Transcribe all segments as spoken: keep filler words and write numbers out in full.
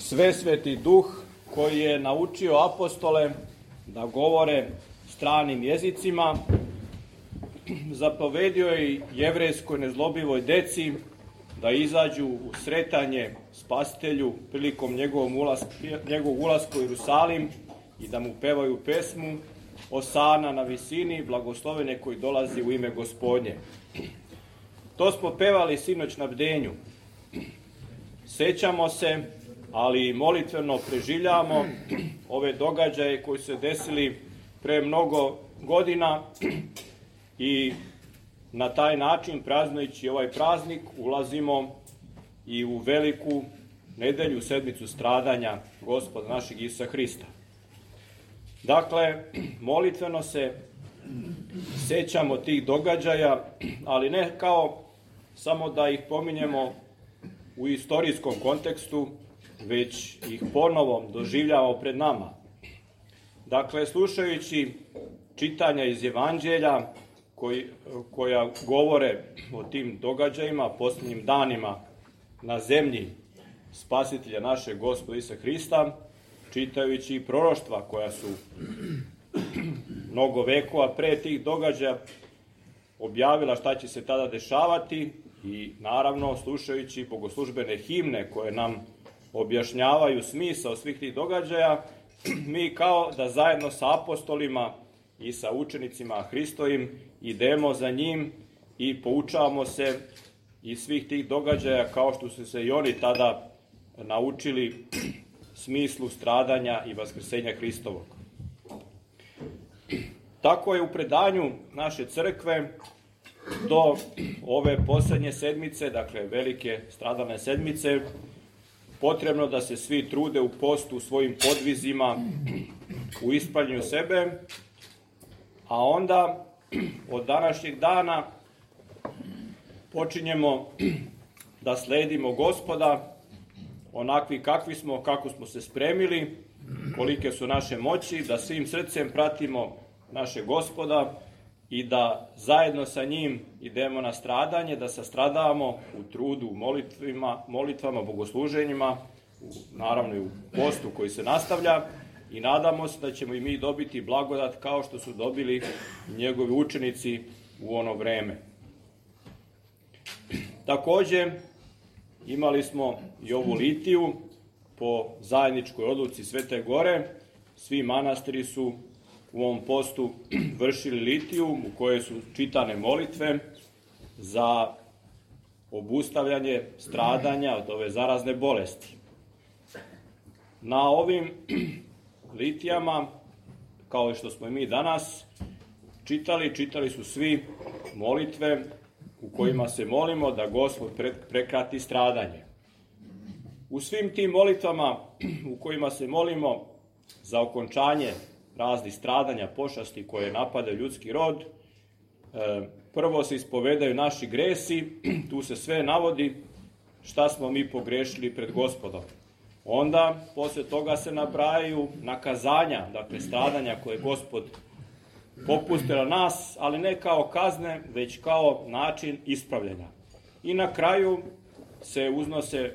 Svesveti Duh koji je naučio apostole da govore stranim jezicima, zapovedio je jevrejskoj nezlobivoj deci da izađu u sretanje Spasitelju prilikom njegovog ulaska, njegovog ulaska u Jerusalim i da mu pevaju pesmu Osana na visini, blagoslovene koji dolazi u ime Gospodnje. To smo pevali sinoć na bdenju. Sećamo se, ali molitveno preživljamo ove događaje koji su se desili pre mnogo godina i na taj način, praznujući ovaj praznik, ulazimo i u veliku nedelju, sedmicu stradanja Gospoda našeg Isusa Hrista. Dakle, molitveno se sećamo tih događaja, ali ne kao samo da ih pominjemo u istorijskom kontekstu, već ih ponovo doživljavamo pred nama. Dakle, slušajući čitanja iz Evanđelja koji, koja govore o tim događajima, posljednjim danima na zemlji Spasitelja našeg Gospoda Isusa Hrista, čitajući i proroštva koja su mnogo vekova pre tih događaja objavila šta će se tada dešavati i naravno slušajući bogoslužbene himne koje nam objašnjavaju smisao svih tih događaja, mi kao da zajedno sa apostolima i sa učenicima Hristovim idemo za njim i poučavamo se iz svih tih događaja kao što su se i oni tada naučili smislu stradanja i vaskrsenja Hristovog. Tako je u predanju naše crkve do ove poslednje sedmice, dakle velike stradalne sedmice, potrebno da se svi trude u postu, u svojim podvizima, u ispravljanju sebe, a onda od današnjeg dana počinjemo da sledimo Gospoda onakvi kakvi smo, kako smo se spremili, kolike su naše moći, da svim srcem pratimo naše Gospoda i da zajedno sa njim idemo na stradanje, da sastradavamo u trudu, u molitvima, molitvama, bogosluženjima, u, naravno i u postu koji se nastavlja i nadamo se da ćemo i mi dobiti blagodat kao što su dobili njegovi učenici u ono vreme. Takođe, imali smo i ovu litiju po zajedničkoj odluci Svete Gore. Svi manastiri su u ovom postu vršili litiju u kojoj su čitane molitve za obustavljanje stradanja od ove zarazne bolesti. Na ovim litijama, kao što smo i mi danas čitali, čitali su svi molitve u kojima se molimo da Gospod prekrati stradanje. U svim tim molitvama u kojima se molimo za okončanje raznih stradanja, pošasti koje napadaju ljudski rod, prvo se ispovedaju naši gresi, tu se sve navodi šta smo mi pogrešili pred Gospodom. Onda, posle toga se nabrajaju nakazanja, dakle stradanja koje je Gospod popustio na nas, ali ne kao kazne, već kao način ispravljanja. I na kraju se uznose e,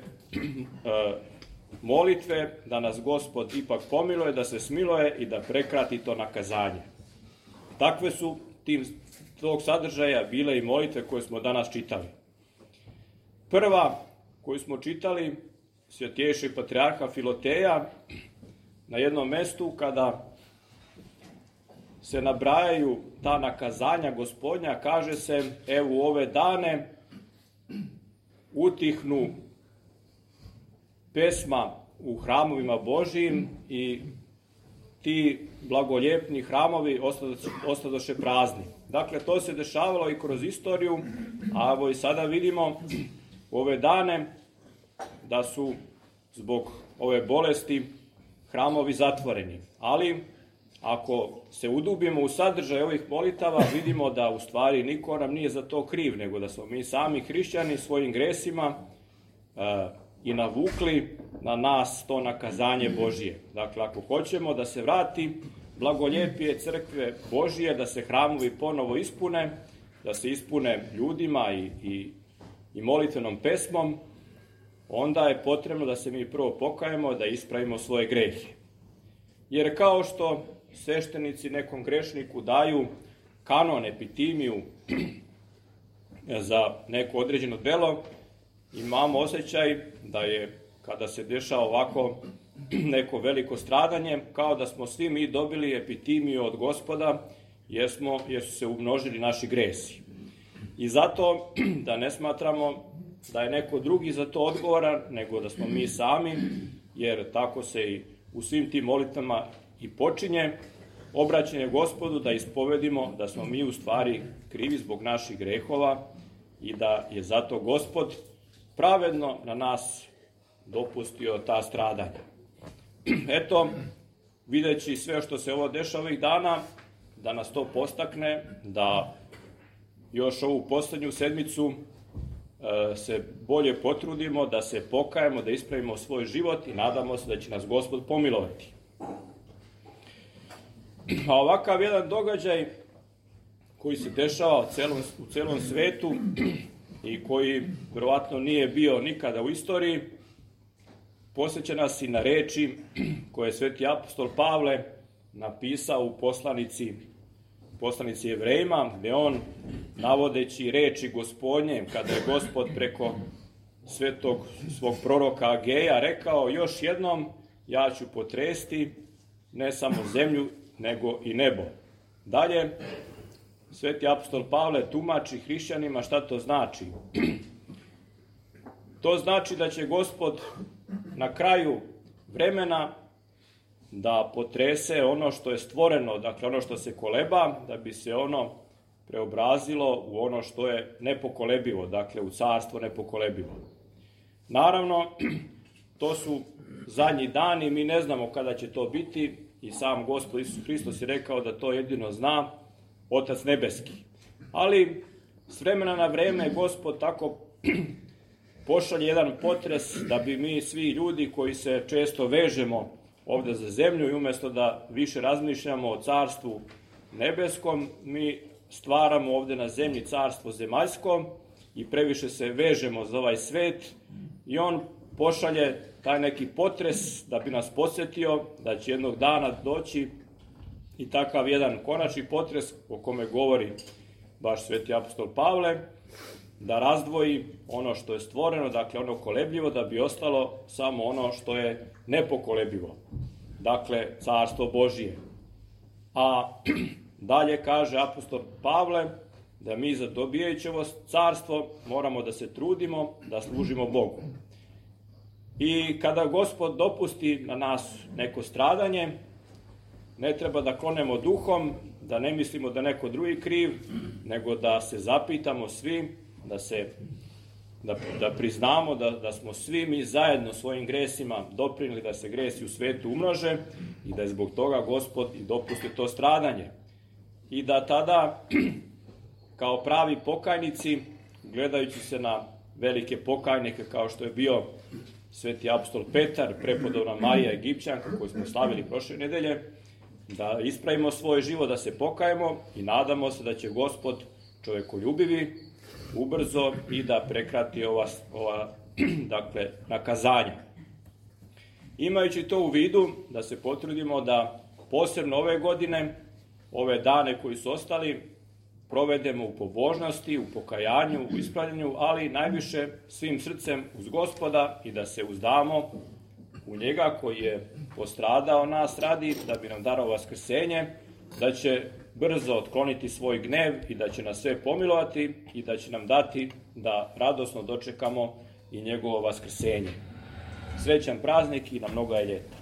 molitve da nas Gospod ipak pomiluje, da se smiluje i da prekrati to nakazanje. Takve su tim, tog sadržaja bile i molitve koje smo danas čitali. Prva koju smo čitali, Svjetejšeg patrijarha Filoteja, na jednom mestu kada se nabrajaju ta nakazanja Gospodnja, kaže se, evo u ove dane utihnu pesma u hramovima Božijim i ti blagoljepni hramovi ostadoše prazni. Dakle, to se dešavalo i kroz istoriju, a evo i sada vidimo u ove dane da su zbog ove bolesti hramovi zatvoreni. Ali ako se udubimo u sadržaj ovih molitava, vidimo da u stvari niko nam nije za to kriv, nego da smo mi sami hrišćani svojim gresima e, i navukli na nas to nakazanje Božije. Dakle, ako hoćemo da se vrati blagoljepije crkve Božije, da se hramovi ponovo ispune, da se ispune ljudima i, i, i molitvenom pesmom, onda je potrebno da se mi prvo pokajemo, da ispravimo svoje grehe. Jer kao što sveštenici nekom grešniku daju kanon, epitimiju za neko određeno delo, imamo osjećaj da je, kada se dešava ovako neko veliko stradanje, kao da smo svi mi dobili epitimiju od Gospoda, jer, smo, jer su se umnožili naši gresi. I zato da ne smatramo da je neko drugi za to odgovoran, nego da smo mi sami, jer tako se i u svim tim molitvama i počinje obraćanje Gospodu, da ispovedimo da smo mi u stvari krivi zbog naših grehova i da je zato Gospod pravedno na nas dopustio ta stradanja. Eto, videći sve što se ovo dešava ovih dana, da nas to postakne, da još ovu poslednju sedmicu e, se bolje potrudimo, da se pokajemo, da ispravimo svoj život i nadamo se da će nas Gospod pomilovati. A ovakav jedan događaj koji se dešava u celom, u celom svetu i koji verovatno nije bio nikada u istoriji, podsjeća nas i na reči koje je sveti apostol Pavle napisao u poslanici, poslanici Jevrejima, gde on, navodeći reči Gospodnje, kada je Gospod preko svetog svog proroka Ageja rekao: još jednom ja ću potresti ne samo zemlju, nego i nebo. Dalje, sveti apostol Pavle tumači hrišćanima šta to znači. To znači da će Gospod na kraju vremena da potrese ono što je stvoreno, dakle ono što se koleba, da bi se ono preobrazilo u ono što je nepokolebivo, dakle u carstvo nepokolebivo. Naravno, to su zadnji dani, mi ne znamo kada će to biti i sam Gospod Isus Hristos je rekao da to jedino zna Otac Nebeski. Ali s vremena na vreme Gospod tako pošalje jedan potres da bi mi svi ljudi koji se često vežemo ovde za zemlju i umesto da više razmišljamo o carstvu nebeskom, mi stvaramo ovde na zemlji carstvo zemaljsko i previše se vežemo za ovaj svet i on pošalje taj neki potres da bi nas podsjetio da će jednog dana doći i takav jedan konačni potres o kome govori baš sveti apostol Pavle, da razdvoji ono što je stvoreno, dakle ono kolebljivo, da bi ostalo samo ono što je nepokolebljivo, dakle carstvo Božije. A dalje kaže apostol Pavle da mi za dobijajući ovo carstvo moramo da se trudimo da služimo Bogu. I kada Gospod dopusti na nas neko stradanje, ne treba da klonemo duhom, da ne mislimo da neko drugi kriv, nego da se zapitamo svi, da se da, da priznamo da, da smo svi mi zajedno svojim gresima doprinili da se gresi u svetu umnože i da je zbog toga Gospod i dopusti to stradanje. I da tada, kao pravi pokajnici, gledajući se na velike pokajnike kao što je bio sveti apostol Petar, prepodobna Marija Egipćanka koju smo slavili prošle nedelje, da ispravimo svoj život, da se pokajemo i nadamo se da će Gospod čovekoljubivi ubrzo i da prekrati ova, ova dakle, nakazanja. Imajući to u vidu, da se potrudimo da posebno ove godine, ove dane koji su ostali, provedemo u pobožnosti, u pokajanju, u ispravljanju, ali najviše svim srcem uz Gospoda i da se uzdamo u njega koji je postradao nas radi, da bi nam darao vaskrsenje, da će brzo otkloniti svoj gnev i da će nas sve pomilovati i da će nam dati da radosno dočekamo i njegovo vaskrsenje. Srećan praznik i na mnoga je ljeta.